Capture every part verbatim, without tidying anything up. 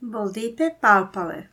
Boldipe palpale.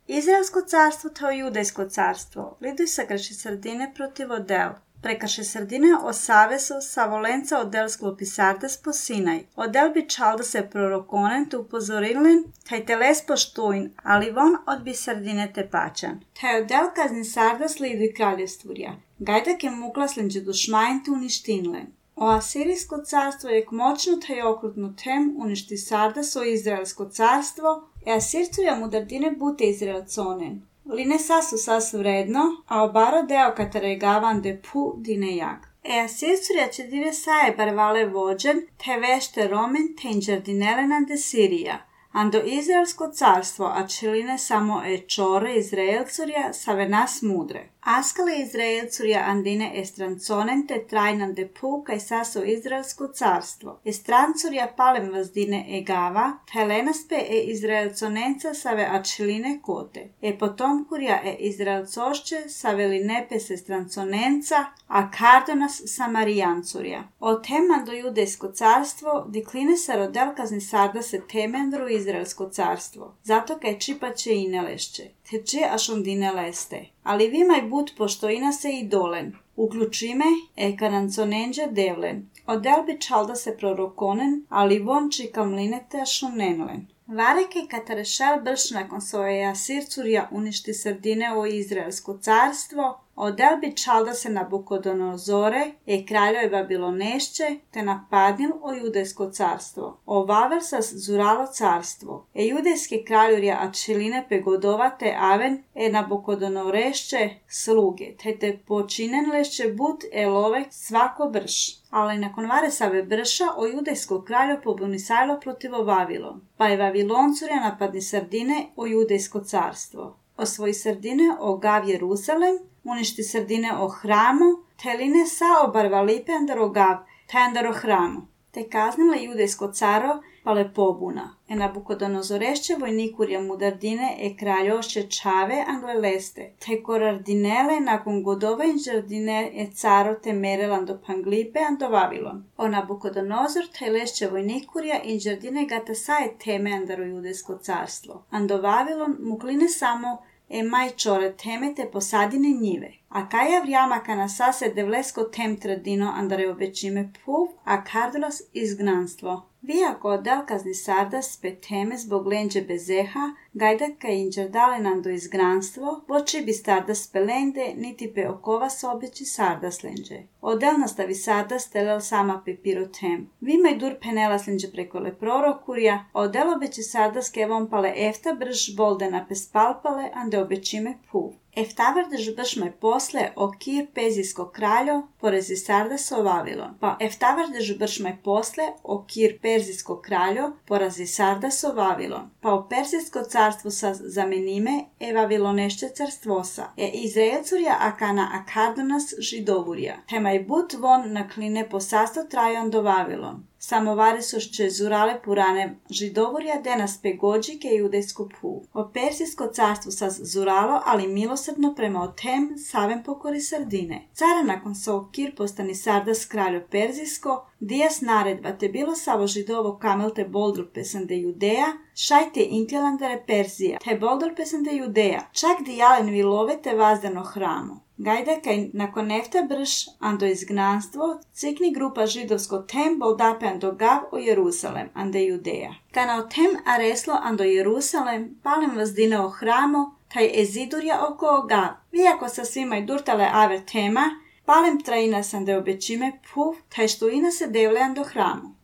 Izraelsko carstvo to judejsko carstvo. Liduj sa krši sredine protiv Odel. Prekrši sredine o savesu sa volenca Odel sklopi sardas po Sinaj. Odel bi čal da se prorokonen tu upozorilen, taj teles poštuin, ali von odbi sredine te pačan. Taj Odel kazni sardas liduj kraljevstvurja. Gajdak je muklaslenđe dušmajn tu uništinlen. O Asirijsko carstvo je moćno taj okrutno tem uništi sardas o Izraelsko carstvo, e Asircuja mudardine bute Izraelconen. Line sasu sasu vredno, a obaro deo kataregavan de pu dine jag. E Asircuja će dive saje barvale vođen, te vešte romen te inđardinelenan de Sirija. Ando Izraelsko carstvo, a čiline samo e čore Izraelcurja save nas mudre. Askale Izraelcurja andine estranconen te trajnan de pu kaj saso Izraelsko carstvo. Estrancurja palem vazdine e gava, telenaspe e Izraelconenca save a čiline kote. E potomkurja e Izraelcošće save linepes estranconenca, a kardonas samarijancurja. O temando judejsko carstvo, dikline sa rodel kazni sarda se temendru Izraelsko carstvo. Zato kaj čipaće i ne lešće. Teče aš ondine leste. Ali vimaj but pošto ina se i dolen. Uključime e karanconenđe devlen. Odel bi čalda se prorokonen, ali von čikam linete aš onenlen. Vareke katarešel brš nakon svoje Asircurja uništi sredine o Izraelsko carstvo, Odel bi čalda se Nabukodonozore, e kraljoj Babilonešće, te napadnil o Judejsko carstvo. O Vaversas zuralo carstvo, e judejske kraljurja a čiline pegodovate aven, e Nabukodonorešće sluge, te te počinen lešće but e love svako brš. Ali nakon Varesave brša o judejsko kraljo pobunisajlo protiv Vavilon, pa je Vaviloncurja napadni sredine o Judejsko carstvo. Osvoji sredine o Gav Jerusalem, uništi sredine o hramu, te line sa obarvalipe andaro Gav, te andaro hramu. Te kaznile judejsko caro, pale pobuna. E Nabukodonozorešće vojnikurja mudardine e kraljošće čave angleleste. Te korardinele nakon godova inđardine e caro te merelan do panglipe ando Vavilon. O Nabukodonozor te lešće vojnikurja inđardine gata saje teme andaro judejsko carstvo. Ando Vavilon mukline samo e maj čore teme te posadine njive. A kaja vrijama kana sase devlesko tem tradino andare obećime puv, a kardolas izgnanstvo. Vijako odel kazni sardas pe teme zbog lenđe bezeha, gajdaka inđerdale do izgranstvo, voči bi sardas pelende, niti pe okova sobeći sardas lenđe. Odel nastavi sardas telel sama pe pirotem. Vimaj dur penelas lenđe preko le prorokurja, odel obeći sardas kevom pale efta brž boldena pe spalpale, ande obećime puv. Eftavardež bršme posle o Kir pezijsko kraljo porezi sardas o Vavilon. Pa eftavardež bršme posle o Kir perzijsko kraljo porazi sardas o Vavilon. Pa o Perzijsko carstvo sa zamenime e Vavilonešće carstvosa. E Izraelcurja akana akardonas židovurja. Temaj but von na kline po sasto trajon do Vavilon. Samovari sušće zurale purane židovurja denas pegođike judejsku pu. O Persijsko carstvo sa zuralo, ali milosrdno prema otem savem pokori sardine. Cara nakon so Kir postani sardas kraljo Perzijsko, dijas naredba te bilo savo židovo kamel te boldr pesande Judeja, šajte inkjelandare Perzija, te boldr pesande Judeja, čak dijalen vilove te vazdano hramu. Gajde kaj nakon efta brš ando izgnanstvo, cikni grupa židovsko tem boldape ando Gav o Jerusalem, ande Judeja. Kana o tem areslo ando Jerusalem, palem vazdine o hramo, taj ezidurja oko Gav. Vijako sa svima i durtale aver tema, palem trajina sande obećime puf, taj što ina se devle ando hramu.